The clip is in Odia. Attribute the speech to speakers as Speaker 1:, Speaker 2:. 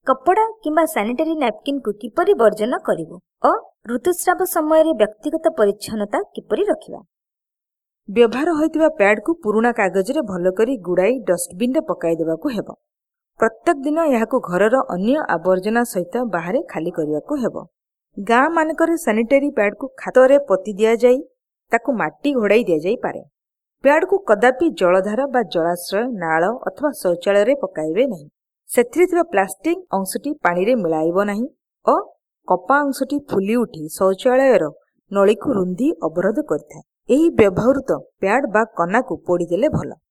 Speaker 1: କପଡ଼ା କିମ୍ବା ସାନିଟାରୀ ନାପକିନ୍କୁ କିପରି ବର୍ଜନ କରିବୁ ଓ ଋତୁସ୍ରାବ ସମୟରେ ବ୍ୟକ୍ତିଗତ ପରିଚ୍ଛନ୍ନତା କିପରି ରଖିବା।
Speaker 2: ବ୍ୟବହାର ହୋଇଥିବା ପ୍ୟାଡ୍କୁ ପୁରୁଣା କାଗଜରେ ଭଲକରି ଗୁଡ଼ାଇ ଡଷ୍ଟବିନ୍ରେ ପକାଇ ଦେବାକୁ ହେବ। ପ୍ରତ୍ୟେକ ଦିନ ଏହାକୁ ଘରର ଅନ୍ୟ ଆବର୍ଜନା ସହିତ ବାହାରେ ଖାଲି କରିବାକୁ ହେବ। ଗାଁମାନଙ୍କରେ ସାନିଟାରୀ ପ୍ୟାଡ୍କୁ ଖାତରେ ପୋତି ଦିଆଯାଇ ତାକୁ ମାଟି ଘୋଡ଼ାଇ ଦିଆଯାଇପାରେ। ପ୍ୟାଡ୍କୁ କଦାପି ଜଳଧାର ବା ଜଳାଶ୍ରୟ, ନାଳ ଅଥବା ଶୌଚାଳୟରେ ପକାଇବେ ନାହିଁ। ସେଥିରେ ଥିବା ପ୍ଲାଷ୍ଟିକ୍ ଅଂଶଟି ପାଣିରେ ମିଳାଇବ ନାହିଁ ଓ କପା ଅଂଶଟି ଫୁଲି ଉଠି ଶୌଚାଳୟର ନଳୀକୁ ରୁନ୍ଧି ଅବରୋଧ କରିଥାଏ। ଏହି ବ୍ୟବହୃତ ପ୍ୟାଡ୍ ବା କନାକୁ ପୋଡ଼ିଦେଲେ ଭଲ।